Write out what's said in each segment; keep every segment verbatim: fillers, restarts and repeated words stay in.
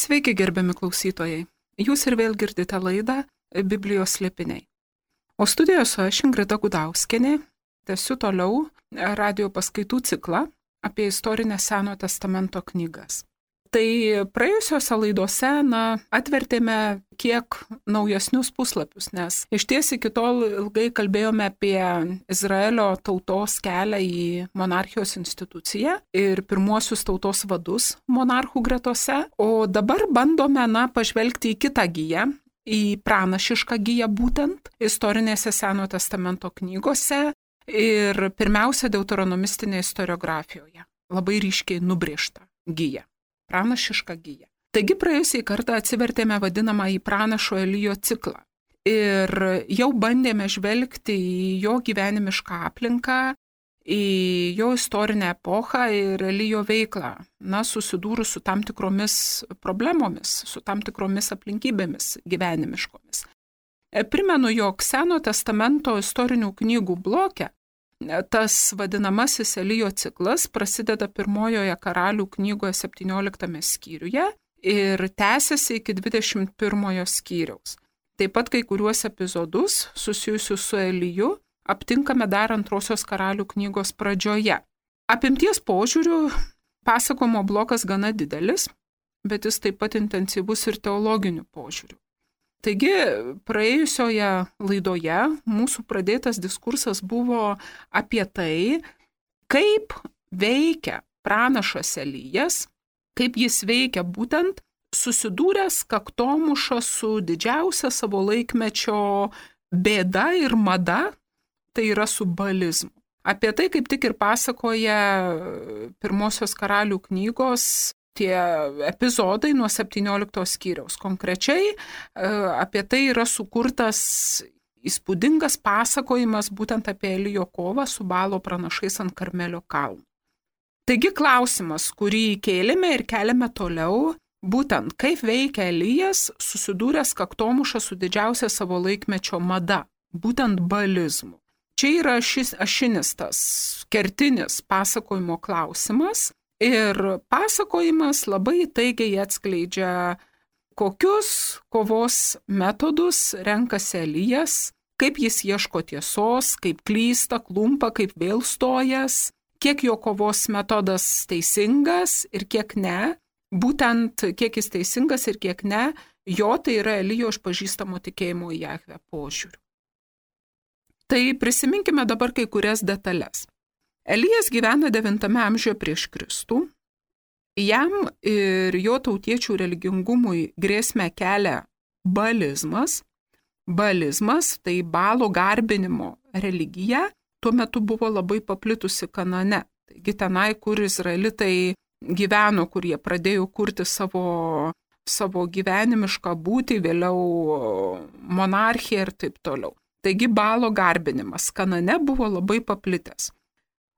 Sveiki, gerbiami klausytojai. Jūs ir vėl girdite laidą Biblijos slėpiniai. O studijoje su aš Ingrida Gudauskienė tęsiu toliau radio paskaitų ciklą apie istorinę Senojo testamento knygas. Tai praėjusiose laidose na, atvertėme kiek naujesnius puslapius, nes iš ties iki tol ilgai kalbėjome apie Izraelio tautos kelią į monarchijos instituciją ir pirmuosius tautos vadus monarchų gretose, o dabar bandome na, pažvelgti į kitą giją, į pranašišką giją būtent istorinėse Senojo testamento knygose ir pirmiausia deuteronomistinėje istoriografijoje, labai ryškiai nubrėžta gija. Pranašišką giją. Taigi praėjusiai kartą atsivertėme vadinamą į pranašo Elijo ciklą ir jau bandėme žvelgti į jo gyvenimišką aplinką, į jo istorinę epochą ir Elijo veiklą, na, susidūrus su tam tikromis problemomis, su tam tikromis aplinkybėmis gyvenimiškomis. Primenu, jog Senojo testamento istorinių knygų bloke tas vadinamasis Elijo ciklas prasideda pirmojoje karalių knygoje septynioliktame skyriuje ir tęsiasi iki dvidešimt pirmojo skyriaus. Taip pat kai kuriuos epizodus susijusius su Eliju aptinkame dar antrosios karalių knygos pradžioje. Apimties požiūriu pasakojimo blokas gana didelis, bet jis taip pat intensyvus ir teologiniu požiūriu. Taigi, praėjusioje laidoje mūsų pradėtas diskursas buvo apie tai, kaip veikia pranašas Elijas, kaip jis veikia būtent susidūręs kaktomuša su didžiausia savo laikmečio bėda ir mada, tai yra su baalizmu. Apie tai kaip tik ir pasakoja pirmosios karalių knygos tie epizodai nuo septyniolikto skyriaus. Konkrečiai apie tai yra sukurtas įspūdingas pasakojimas būtent apie Elijo kovą su Baalo pranašais ant Karmelio kalno. Taigi klausimas, kurį kėlėme ir keliame toliau, būtent kaip veikia Elijas susidūręs kaktomuša su didžiausia savo laikmečio mada, būtent baalizmu. Čia yra šis ašinis tas kertinis pasakojimo klausimas. Ir pasakojimas labai taigiai atskleidžia, kokius kovos metodus renkasi Elijas, kaip jis ieško tiesos, kaip klysta, klumpa, kaip vėl stojas, kiek jo kovos metodas teisingas ir kiek ne, būtent kiek jis teisingas ir kiek ne, jo tai yra Elijo išpažįstamo tikėjimo į Jahvę požiūriu. Tai prisiminkime dabar kai kurias detalės. Elijas gyvena devintame amžiuje prieš Kristų. Jam ir jo tautiečių religingumui grėsmę kelia baalizmas. Baalizmas, tai Baalo garbinimo religija, tuo metu buvo labai paplitusi Kanane. Taigi tenai, kur izraelitai gyveno, kur jie pradėjo kurti savo, savo gyvenimišką būtį, vėliau monarchiją ir taip toliau. Taigi Baalo garbinimas Kanane buvo labai paplitęs.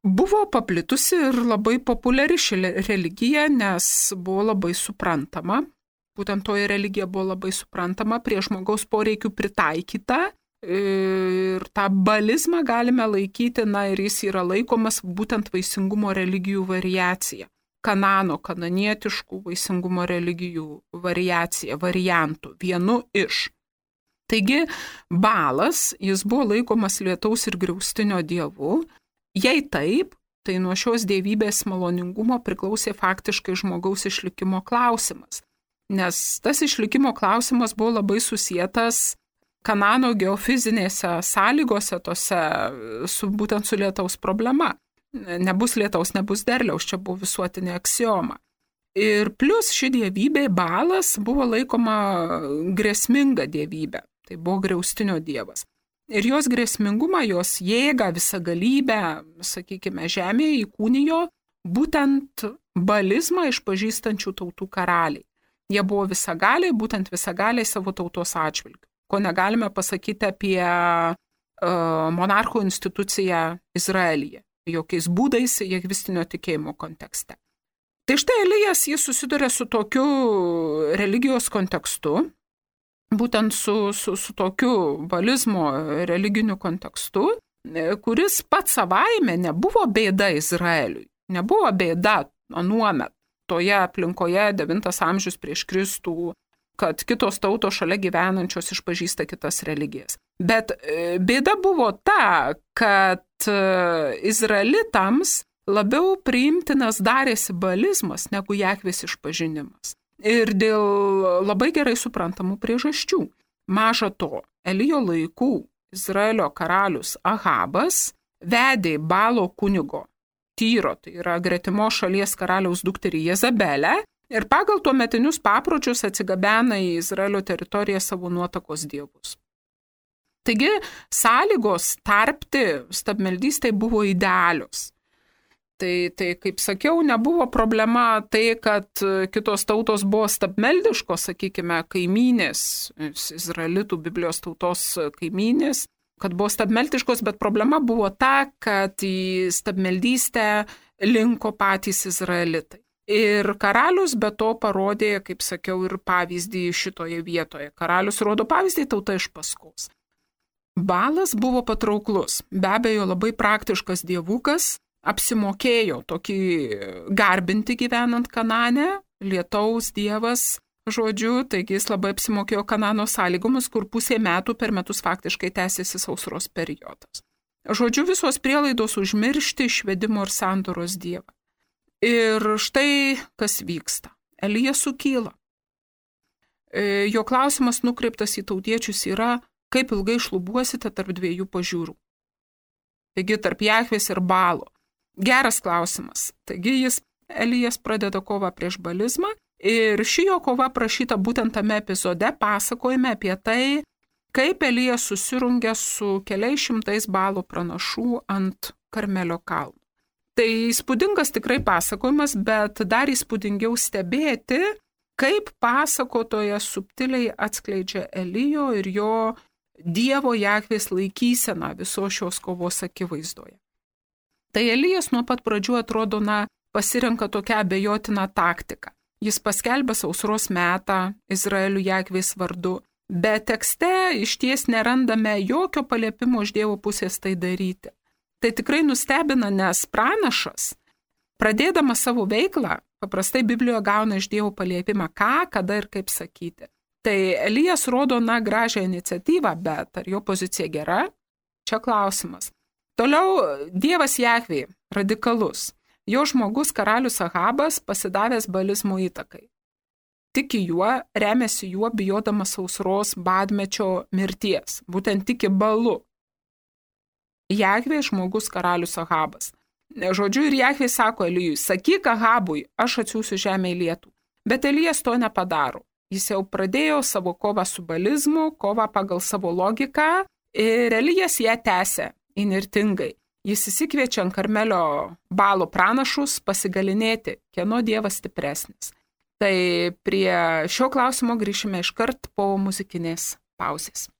Buvo paplitusi ir labai populiari ši religija, nes buvo labai suprantama. Būtent toji religija buvo labai suprantama, prie žmogaus poreikių pritaikyta. Ir tą baalizmą galime laikyti, na ir jis yra laikomas būtent vaisingumo religijų variacija. Kanano, kananietiškų vaisingumo religijų variacija, variantų, vienu iš. Taigi, Baalas, jis buvo laikomas lietaus ir griaustinio dievu. Jei taip, tai nuo šios dievybės maloningumo priklausė faktiškai žmogaus išlikimo klausimas, nes tas išlikimo klausimas buvo labai susietas Kanano geofizinėse sąlygose, tose, su, būtent su lietaus problema. Nebus lietaus, nebus derliaus, čia buvo visuotinė aksioma. Ir plus ši dievybė, Baalas, buvo laikoma grėsminga dievybė, tai buvo griaustinio dievas. Ir jos grėsmingumą, jos jėgą, visagalybę, sakykime, žemėje įkūnijo būtent baalizmą išpažįstančių tautų karaliai. Jie buvo visagaliai, būtent visagaliai savo tautos atžvilgiu, ko negalime pasakyti apie uh, monarchų instituciją Izraelyje, jokiais būdais jahvistinio tikėjimo kontekste. Tai štai Elijas jis susiduria su tokiu religijos kontekstu, būtent su, su, su tokiu baalizmo religiniu kontekstu, kuris pats savaime nebuvo bėda Izraeliui, nebuvo bėda anuomet. toje aplinkoje devintas amžius prieš Kristų, kad kitos tautos šalia gyvenančios išpažįsta kitas religijas. Bet bėda buvo ta, kad izraelitams labiau priimtinas darėsi baalizmas negu Jahvės išpažinimas. Ir dėl labai gerai suprantamų priežasčių. Maža to, Elijo laikų Izraelio karalius Ahabas vedė Balo kunigo Tyro, tai yra gretimo šalies karaliaus dukterį Jezabelę, ir pagal tuometinius papročius atsigabena į Izraelio teritoriją savo nuotakos dievus. Taigi, sąlygos tarpti stabmeldystei buvo idealios. Tai, tai, kaip sakiau, nebuvo problema tai, kad kitos tautos buvo stabmeldiškos, sakykime, kaimynės, izraelitų Biblijos tautos kaimynės, kad buvo stabmeldiškos, bet problema buvo ta, kad į stabmeldystę linko patys izraelitai. Ir karalius be to parodė, kaip sakiau, ir pavyzdį šitoje vietoje. Karalius rodo pavyzdį, tauta iš paskos. Balas buvo patrauklus, be abejo labai praktiškas dievukas, apsimokėjo tokį garbinti gyvenant Kanane, lietaus dievas, žodžiu, taigi jis labai apsimokėjo Kanano sąlygomis, kur pusė metų per metus faktiškai tęsiasi sausros periodas. Žodžiu, visos prielaidos užmiršti išvedimo ir sandoros dievą. Ir štai kas vyksta. Elija sukyla. Jo klausimas nukreiptas į tautiečius yra, kaip ilgai šlubuosite tarp dviejų pažiūrų. Taigi tarp Jahvės ir Balo. Geras klausimas. Taigi jis, Elijas, pradeda kovą prieš balizmą ir ši jo kova prašyta būtent tame epizode, pasakojime apie tai, kaip Elijas susirungia su keliais šimtais Balo pranašų ant Karmelio kalno. Tai įspūdingas tikrai pasakojimas, bet dar įspūdingiau stebėti, kaip pasakotojas subtiliai atskleidžia Elijo ir jo Dievo Jahvės laikyseną visos šios kovos akivaizdoje. Tai Elijas nuo pat pradžių atrodo, na, pasirenka tokią abejotiną taktiką. Jis paskelbė sausros metą Izraelių Jahvės vardu, bet tekste išties nerandame jokio paliepimo iš Dievo pusės tai daryti. Tai tikrai nustebina, nes pranašas, pradėdamas savo veiklą, paprastai Biblijoje gauna iš Dievo paliepimą, ką, kada ir kaip sakyti. Tai Elijas rodo, na, gražią iniciatyvą, bet ar jo pozicija gera? Čia klausimas. Toliau Dievas Jahvė, radikalus. Jo žmogus karalius Ahabas pasidavęs balizmo įtakai. Tiki juo, remiasi juo, bijodamas sausros badmečio mirties. Būtent tiki Balu. Jahvė žmogus karalius Ahabas. Žodžiu, ir Jahvė sako Elijui, sakyk Ahabui, aš atsiųsiu žemę į lietų. Bet Elijas to nepadaro. Jis jau pradėjo savo kovą su balizmu, kovą pagal savo logiką, ir Elijas ją tęsia įnirtingai. Jis įsikviečia ant Karmelio Balo pranašus pasigalinėti, kieno dievas stipresnis. Tai prie šio klausimo grįšime iškart po muzikinės pauzės.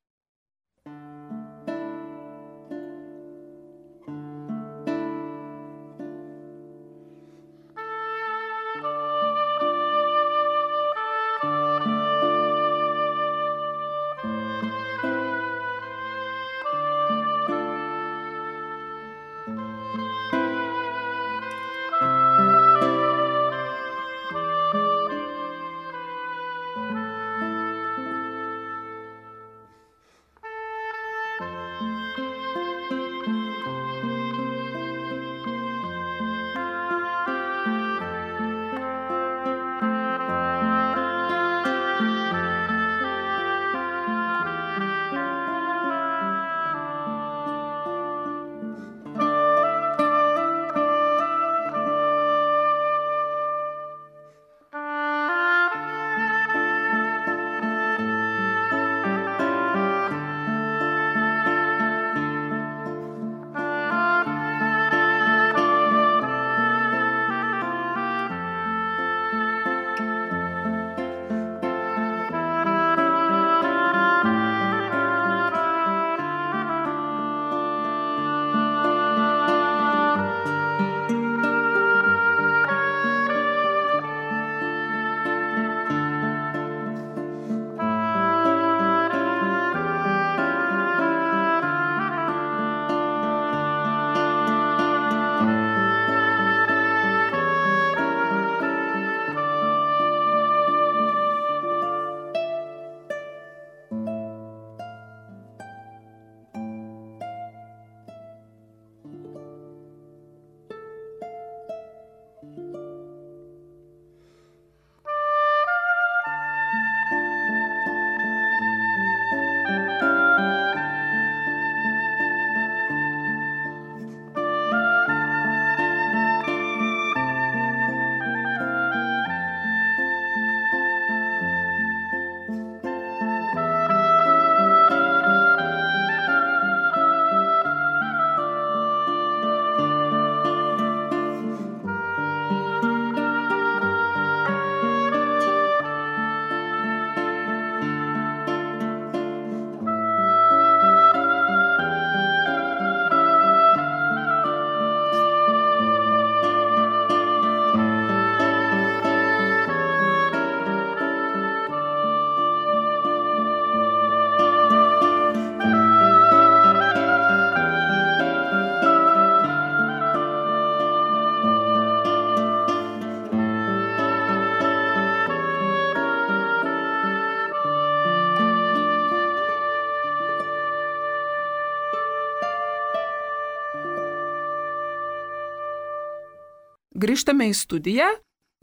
Grįžtame į studiją,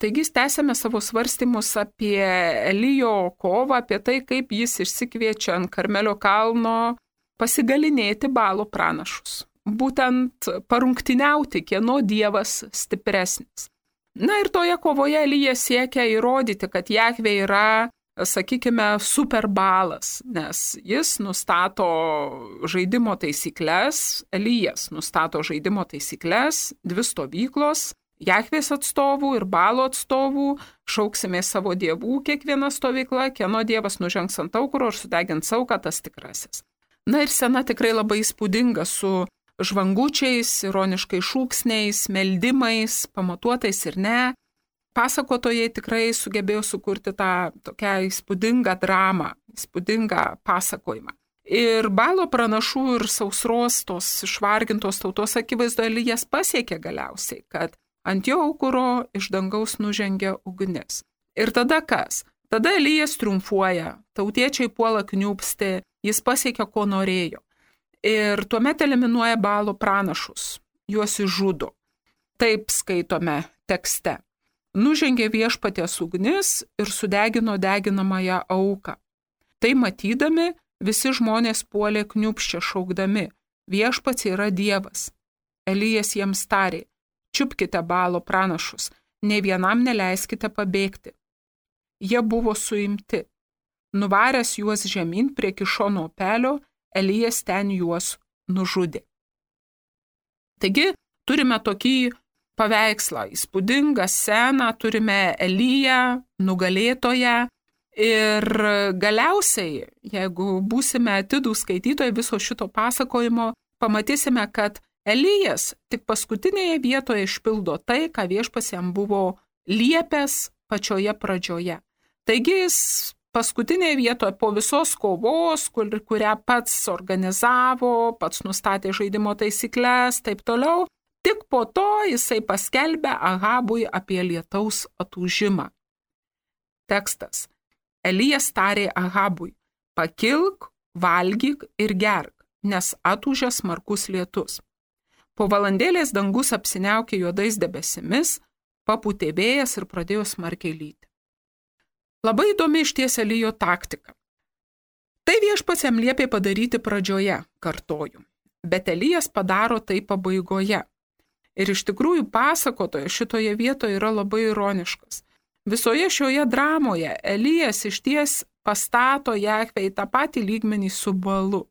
taigi tęsėme savo svarstymus apie Elijo kovą, apie tai, kaip jis išsikviečia ant Karmelio kalno pasigalinėti Baalo pranašus. Būtent parungtiniauti, kieno dievas stipresnis. Na ir toje kovoje Elijas siekia įrodyti, kad Jahvė yra, sakykime, superbalas, nes jis nustato žaidimo taisyklės, Elijas nustato žaidimo taisyklės, dvi stovyklos, Jahvės atstovų ir Baalo atstovų, šauksime savo dievų kiekviena stovykla, kieno dievas nužengs ant aukuro ir sudegins auką, tas tikrasis. Na ir scena tikrai labai įspūdinga su žvangučiais, ironiškai šūksniais, meldimais, pamatuotais ir ne. Pasakotojai tikrai sugebėjo sukurti tą tokią įspūdingą dramą, įspūdingą pasakojimą. Ir Baalo pranašų ir sausros tos išvargintos tautos akivaizdoje Elijas pasiekė galiausiai, kad ant jo aukuro iš dangaus nužengia ugnis. Ir tada kas? Tada Elijas triumfuoja, tautiečiai puola kniūpsti, jis pasiekia, ko norėjo. Ir tuomet eliminuoja Baalo pranašus, juos išžudo. Taip skaitome tekste. Nužengė viešpaties ugnis ir sudegino deginamąją auką. Tai matydami, visi žmonės puolė kniūpščia šaukdami, viešpats yra dievas. Elijas jiems tarė, čiupkite Baalo pranašus, nei vienam neleiskite pabėgti. Jie buvo suimti. Nuvaręs juos žemyn prie Kišono upelio, Elijas ten juos nužudė. Taigi, turime tokį paveikslą, įspūdingą sceną, turime Eliją, nugalėtoją ir galiausiai, jeigu būsime atidūs skaitytojai viso šito pasakojimo, pamatysime, kad Elijas tik paskutinėje vietoje išpildo tai, ką viešpats jam buvo liepęs pačioje pradžioje. Taigi jis paskutinėje vietoje po visos kovos, kur, kurią pats organizavo, pats nustatė žaidimo taisyklės, taip toliau, tik po to jisai paskelbė Ahabui apie lietaus atūžimą. Tekstas. Elijas tarė Ahabui, pakilk, valgyk ir gerk, nes atūžė smarkus lietus. Po valandėlės dangus apsiniaukė juodais debesimis, papūtė vėjas ir pradėjo smarkiai lyti. Labai įdomi išties Elijo taktika. Tai viešpats jam liepė padaryti pradžioje, kartoju, bet Elijas padaro tai pabaigoje. Ir iš tikrųjų pasakotojas šitoje vietoje yra labai ironiškas. Visoje šioje dramoje Elijas išties pastato Jahvę į tą patį lygmenį su Baalu.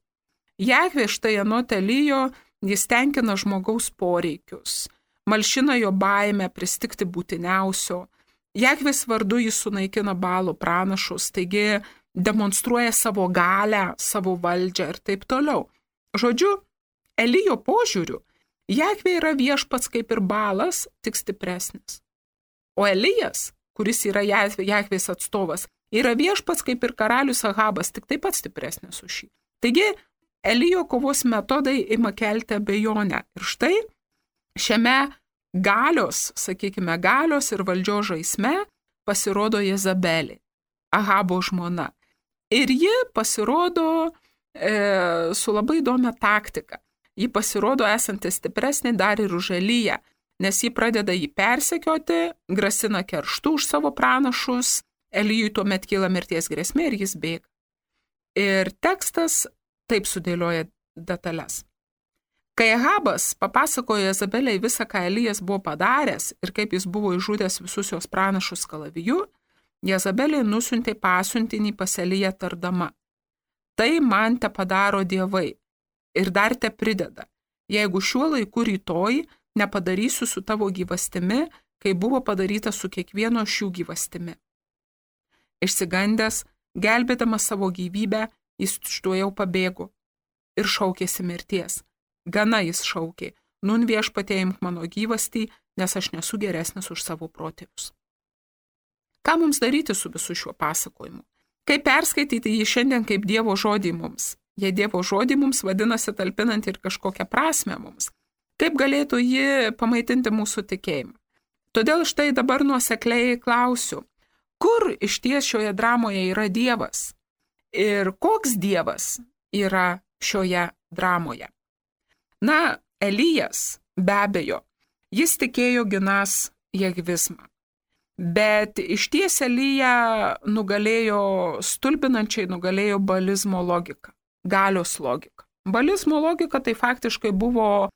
Jahvė štai anot Elijo, jis tenkina žmogaus poreikius, malšina jo baimę pristigti būtiniausio. Jahvės vardu jis sunaikina Baalo pranašus, taigi demonstruoja savo galią, savo valdžią ir taip toliau. Žodžiu, Elijo požiūriu, Jahvė yra viešpats kaip ir Baalas, tik stipresnis. O Elijas, kuris yra Jahvės atstovas, yra viešpats kaip ir karalius Ahabas, tik taip pat stipresnis už šį. Taigi, Elijo kovos metodai ima kelti abejonę. Ir štai šiame galios, sakykime, galios ir valdžios žaisme pasirodo Jezabelė, Ahabo žmona. Ir ji pasirodo e, su labai įdomia taktika. Ji pasirodo esanti stipresnė dar ir už Eliją, nes ji pradeda jį persekioti, grasina kerštu už savo pranašus, Elijui tuomet kyla mirties grėsmė ir jis bėga. Ir tekstas taip sudėlioja detalės. Kai Ahabas papasakojo Jezabeliai visą, ką Elijas buvo padaręs ir kaip jis buvo išžudęs visus jos pranašus kalaviju, Jezabeliai nusiuntė pasiuntinį pas Eliją tardama. Tai man te padaro dievai ir dar te prideda, jeigu šiuo laiku rytoj nepadarysiu su tavo gyvastimi, kai buvo padaryta su kiekvieno šių gyvastimi. Išsigandęs, gelbėdamas savo gyvybę, jis tučtuojau pabėgo ir šaukėsi mirties. Gana jis šaukė, nun viešpatie imk mano gyvastį, nes aš nesu geresnis už savo protėvius. Ką mums daryti su visu šiuo pasakojimu? Kaip perskaityti jį šiandien kaip Dievo žodį mums? Jei Dievo žodį mums vadinasi talpinant ir kažkokią prasmę mums. Kaip galėtų ji pamaitinti mūsų tikėjimą? Todėl štai dabar nuosekliai klausiu, kur išties šioje dramoje yra Dievas? Ir koks Dievas yra šioje dramoje? Na, Elijas, be abejo, jis tikėjo ginas jėgvizmą. Bet išties Elija nugalėjo, stulbinančiai nugalėjo balizmo logiką, galios logiką. Balizmo logika tai faktiškai buvo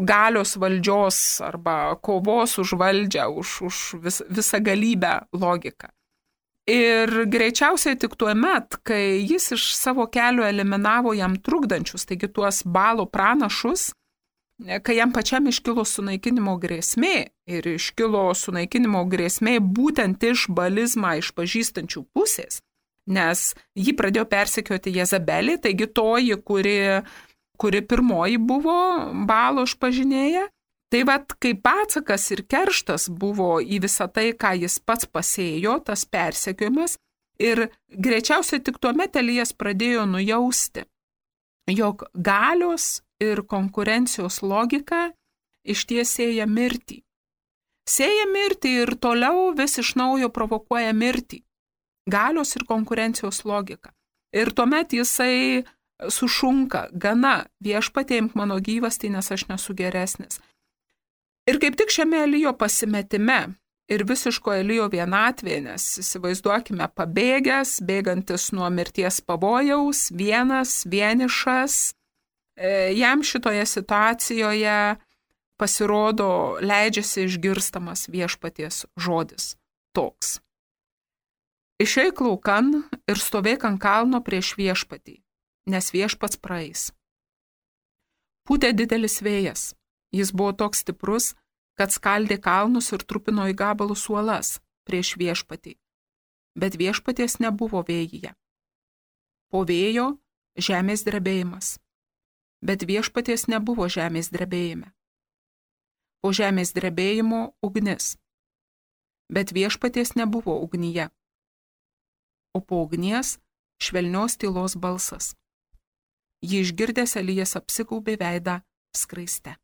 galios valdžios arba kovos už valdžią, už, už vis, visą galybę logika. Ir greičiausiai tik tuo met, kai jis iš savo kelio eliminavo jam trukdančius, taigi tuos Balo pranašus, kai jam pačiam iškilo sunaikinimo grėsmė ir iškilo sunaikinimo grėsmė būtent iš balizmą išpažįstančių pusės, nes jį pradėjo persekioti Jezabelį, taigi toji, kuri, kuri pirmoji buvo Balo išpažinėja. Tai vat, kaip atsakas ir kerštas buvo į visą tai, ką jis pats pasėjo, tas persekiojimas, ir greičiausiai tik tuomet Elijas pradėjo nujausti, jog galios ir konkurencijos logika išties sėja mirtį. Sėja mirtį ir toliau vis iš naujo provokuoja mirtį. Galios ir konkurencijos logika. Ir tuomet jisai sušunka, gana, viešpatie imk mano gyvastį, nes aš nesu geresnis. Ir kaip tik šiame Elijo pasimetime ir visiško Elijo vienatvėje, nes įsivaizduokime pabėgęs, bėgantis nuo mirties pavojaus, vienas, vienišas, jam šitoje situacijoje pasirodo, leidžiasi išgirstamas viešpaties žodis toks. Išeik laukan ir stovėk ant kalno prieš viešpatį, nes viešpats praeis. Pūtė didelis vėjas. Jis buvo toks stiprus, kad skaldė kalnus ir trupino į gabalus uolas prieš viešpatį, bet viešpaties nebuvo vėjyje. Po vėjo žemės drebėjimas, bet viešpaties nebuvo žemės drebėjime. Po žemės drebėjimo ugnis, bet viešpaties nebuvo ugnyje. O po ugnies švelnios tylos balsas. Jį išgirdęs Elijas apsigaubė veidą skraiste.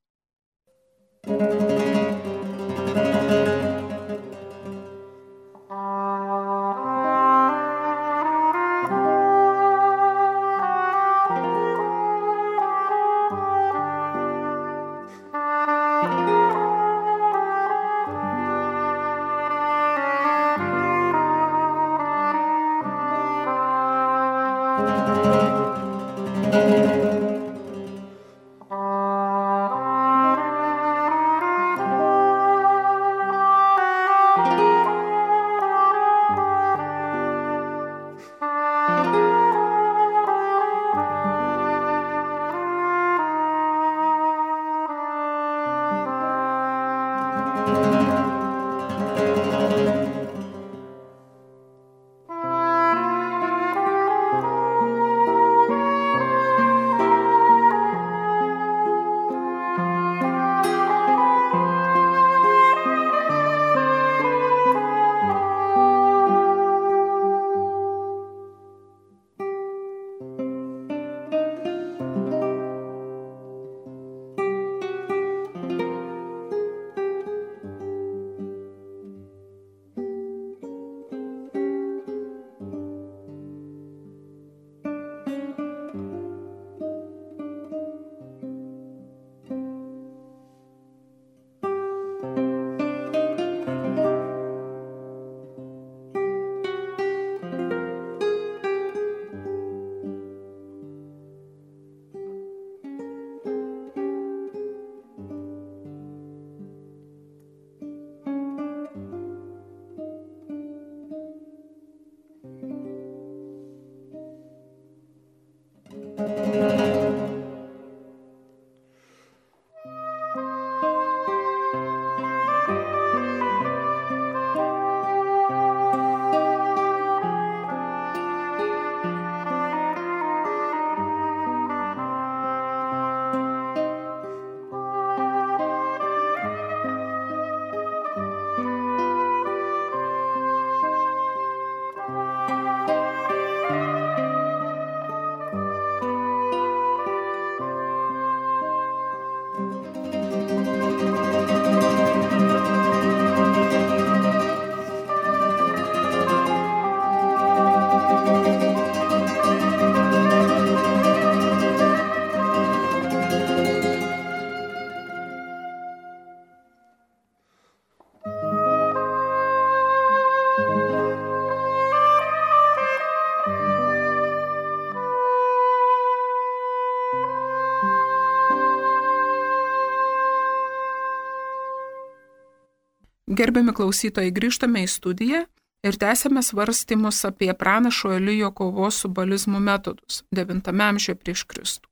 Gerbiami klausytojai, grįžtame į studiją ir tęsėme svarstymus apie pranašo Elijo kovos su balizmu metodus devintame amžiuje prieš Kristų.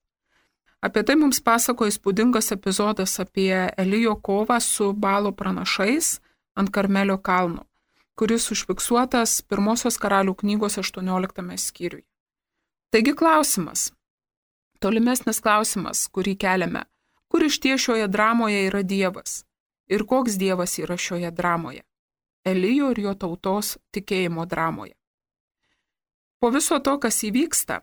Apie tai mums pasako įspūdingas epizodas apie Elijo kovą su Balo pranašais ant Karmelio kalno, kuris užfiksuotas pirmosios karalių knygos aštuonioliktame skyriuje. Taigi klausimas, tolimesnis klausimas, kurį keliame, kur išties šioje dramoje yra Dievas ir koks Dievas yra šioje dramoje, Elijo ir jo tautos tikėjimo dramoje. Po viso to, kas įvyksta,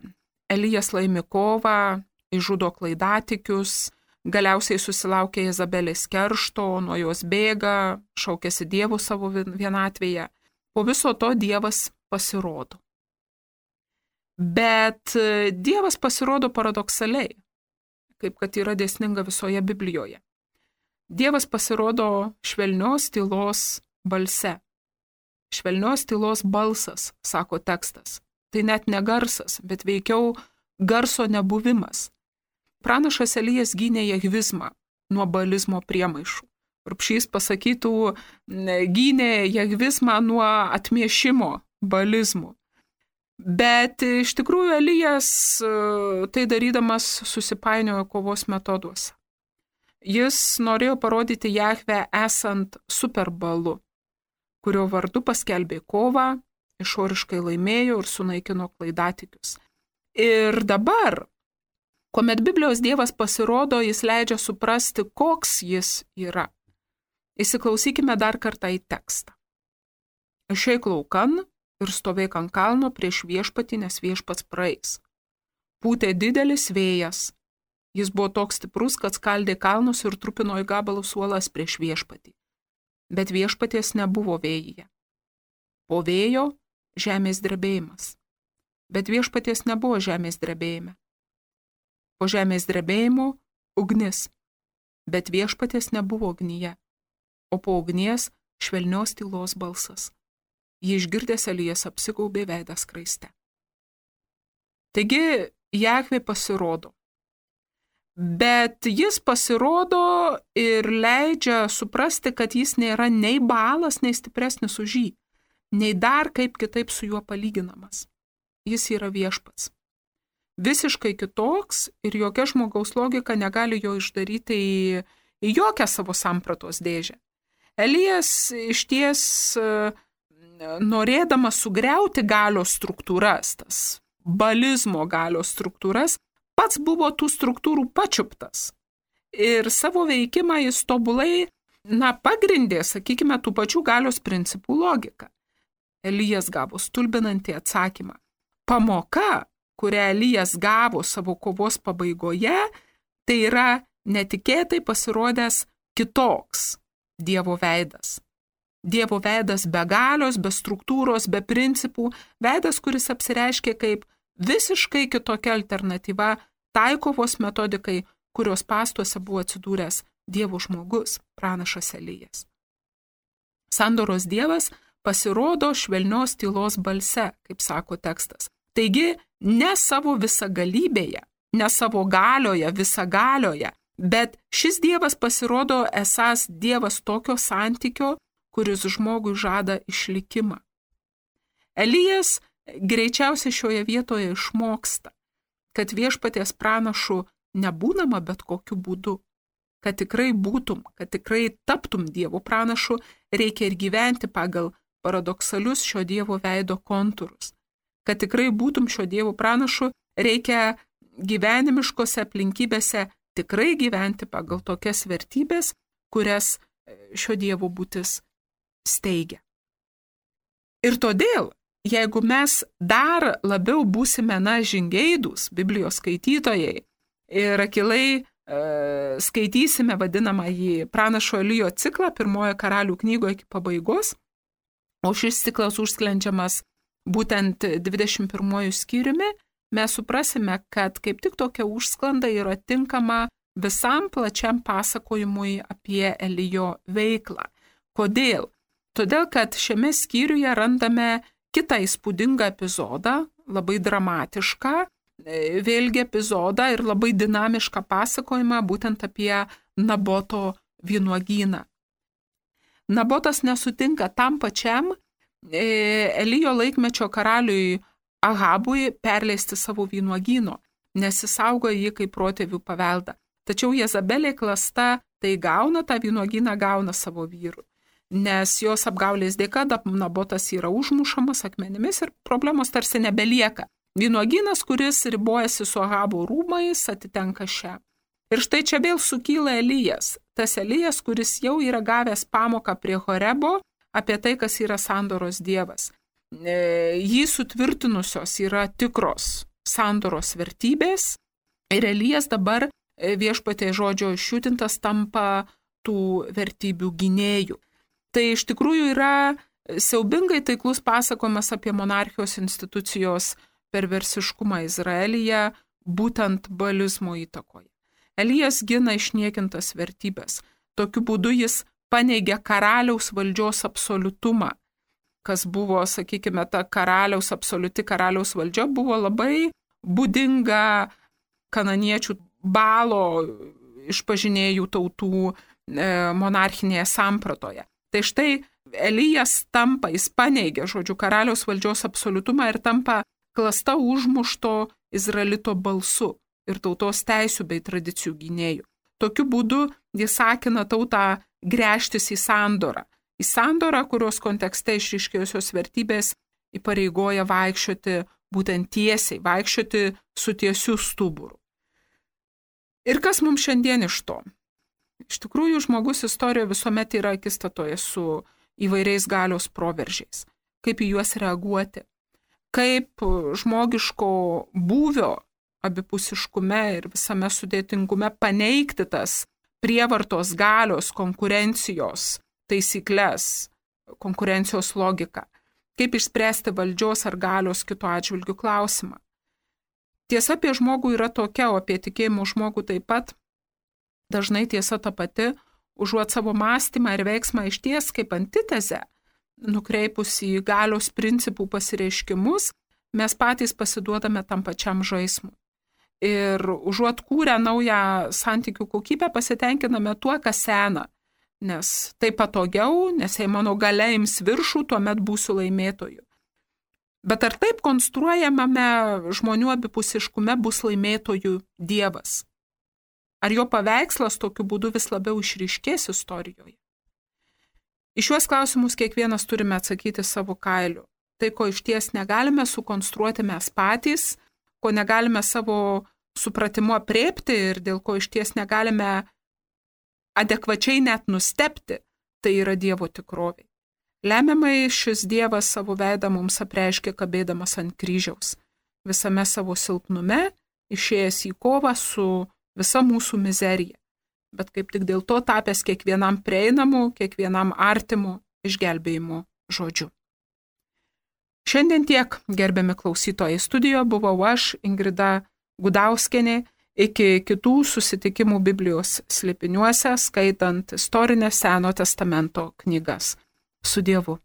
Elijas laimi kovą, išžudo klaidatikius, galiausiai susilaukia Jezabelės keršto, nuo jos bėga, šaukėsi Dievo savo vienatvėje. Po viso to Dievas pasirodo. Bet Dievas pasirodo paradoksaliai, kaip kad yra dėsninga visoje Biblijoje. Dievas pasirodo švelnios tylos balse. Švelnios tylos balsas, sako tekstas. Tai net ne garsas, bet veikiau garso nebuvimas. Pranašas Elijas gynė jahvizmą nuo balizmo priemaišų. Rupšys pasakytų, gynė jahvizmą nuo atmiešimo balizmų. Bet iš tikrųjų Elijas tai darydamas susipainiojo kovos metoduose. Jis norėjo parodyti Jahvę esant superbalu, kurio vardu paskelbė kovą, išoriškai laimėjo ir sunaikino klaidatikius. Ir dabar, kuomet Biblijos Dievas pasirodo, jis leidžia suprasti, koks jis yra. Įsiklausykime dar kartą į tekstą. Išeik laukan ir stovėk ant kalno prieš viešpatį, nes viešpats praeis. Pūtė didelis vėjas. Jis buvo toks stiprus, kad skaldė kalnus ir trupino į gabalus uolas prieš viešpatį. Bet viešpaties nebuvo vėjyje. Po vėjo žemės drebėjimas. Bet viešpaties nebuvo žemės drebėjime. Po žemės drebėjimo ugnis. Bet viešpaties nebuvo ugnyje. O po ugnies švelnios tylos balsas. Jį išgirdęs Elijas apsigaubė veidą skraiste. Taigi Jahvė pasirodo. Bet jis pasirodo ir leidžia suprasti, kad jis nėra nei Baalas, nei stipresnis už jį, nei dar kaip kitaip su juo palyginamas. Jis yra viešpats. Visiškai kitoks ir jokia žmogaus logika negali jo išdaryti į, į jokią savo sampratos dėžę. Elijas išties norėdamas sugriauti galios struktūras, tas balizmo galios struktūras, pats buvo tų struktūrų pačiuptas ir savo veikimą jis tobulai, na, pagrindė, sakykime, tų pačių galios principų logiką. Elijas gavo stulbinantį atsakymą. Pamoka, kurią Elijas gavo savo kovos pabaigoje, tai yra netikėtai pasirodęs kitoks Dievo veidas. Dievo veidas be galios, be struktūros, be principų, veidas, kuris apsireiškia kaip visiškai kitokia alternatyva tai kovos metodikai, kurios pastuose buvo atsidūręs Dievo žmogus, pranašas Elijas. Sandoros Dievas pasirodo švelnios tylos balse, kaip sako tekstas. Taigi, ne savo visagalybėje, ne savo galioje, visagalioje, bet šis Dievas pasirodo esąs Dievas tokio santykio, kuris žmogui žada išlikimą. Elijas greičiausiai šioje vietoje išmoksta, kad viešpaties pranašu nebūnama bet kokiu būdu. Kad tikrai būtum, kad tikrai taptum Dievo pranašu, reikia ir gyventi pagal paradoksalius šio Dievo veido kontūrus. Kad tikrai būtum šio Dievo pranašu, reikia gyvenimiškose aplinkybėse tikrai gyventi pagal tokias vertybės, kurias šio Dievo būtis steigia. Ir todėl, jeigu mes dar labiau būsime, na, žingeidūs, Biblijos skaitytojai, ir akilai e, skaitysime vadinamąjį pranašo Elijo ciklą pirmojo karalių knygoje iki pabaigos, o šis ciklas užsklendžiamas būtent dvidešimt pirmuoju skyriumi, mes suprasime, kad kaip tik tokia užsklanda yra tinkama visam plačiam pasakojimui apie Elijo veiklą. Kodėl? Todėl, kad šiame skyriuje randame kitą įspūdingą epizodą, labai dramatišką, vėlgi epizodą ir labai dinamišką pasakojimą būtent apie Naboto vynuogyną. Nabotas nesutinka tam pačiam Elijo laikmečio karaliui Ahabui perleisti savo vynuogyno, nes jis saugo jį kaip protėvių paveldą. Tačiau Jezabelė klasta tai gauna, tą vynuogyną gauna savo vyrų, nes jos apgaulės dėka Nabotas yra užmušamas akmenimis ir problemos tarsi nebelieka. Vynuogynas, kuris ribojasi su Ahabo rūmais, atitenka šią. Ir štai čia vėl sukyla Elijas, tas Elijas, kuris jau yra gavęs pamoką prie Horebo apie tai, kas yra sandoros dievas. Jį sutvirtinusios yra tikros sandoros vertybės ir Elijas dabar viešpatie žodžio išjudintas tampa tų vertybių gynėjų. Tai iš tikrųjų yra siaubingai taiklus pasakojimas apie monarchijos institucijos perversiškumą Izraelyje, būtent baalizmo įtakoje. Elijas gina išniekintas vertybės. Tokiu būdu jis paneigia karaliaus valdžios absoliutumą, kas buvo, sakykime, ta karaliaus absoliuti karaliaus valdžia buvo labai būdinga kananiečių Balo išpažinėjų tautų monarchinėje sampratoje. Tai štai Elijas tampa, jis paneigia, žodžiu, karaliaus valdžios absoliutumą ir tampa klasta užmušto Izraelito balsu ir tautos teisių bei tradicijų gynėjų. Tokiu būdu jis sakina tautą gręžtis į sandorą. Į sandorą, kurios kontekste išryškėjusios vertybės įpareigoja vaikščioti būtent tiesiai, vaikščioti su tiesiu stuburu. Ir kas mums šiandien iš to? Iš tikrųjų, žmogus istorijoje visuomet yra akistatoje su įvairiais galios proveržiais. Kaip į juos reaguoti? Kaip žmogiško būvio abipusiškume ir visame sudėtingume paneigti tas prievartos galios, konkurencijos taisyklės, konkurencijos logiką. Kaip išspręsti valdžios ar galios kito atžvilgių klausimą. Tiesa apie žmogų yra tokia, o apie tikėjimo žmogų taip pat. Dažnai tiesa ta pati, užuot savo mąstymą ir veiksmą išties kaip antitezę, nukreipus į galios principų pasireiškimus, mes patys pasiduodame tam pačiam žaismui. Ir užuot kūrę naują santykių kokybę, pasitenkiname tuo, kas sena. Nes tai patogiau, nes jei mano galia ims viršų, tuomet būsiu laimėtoju. Bet ar taip konstruojamame žmonių abipusiškume bus laimėtojų dievas? Ar jo paveikslas tokiu būdu vis labiau išryškės istorijoje? Į šiuos klausimus kiekvienas turime atsakyti savo kailiu. Tai, ko išties negalime sukonstruoti mes patys, ko negalime savo supratimu apriepti ir dėl ko išties negalime adekvačiai net nustebti, tai yra Dievo tikrovė. Lemiamai šis Dievas savo veidą mums apreiškė kabėdamas ant kryžiaus, visame savo silpnume, išėjęs į kovą su visa mūsų mizerija, bet kaip tik dėl to tapęs kiekvienam prieinamu, kiekvienam artimu išgelbėjimo žodžiu. Šiandien tiek, gerbiami klausytojai, studijoje buvau aš, Ingrida Gudauskienė, iki kitų susitikimų Biblijos slėpiniuose, skaitant istorinės Seno testamento knygas. Su Dievu.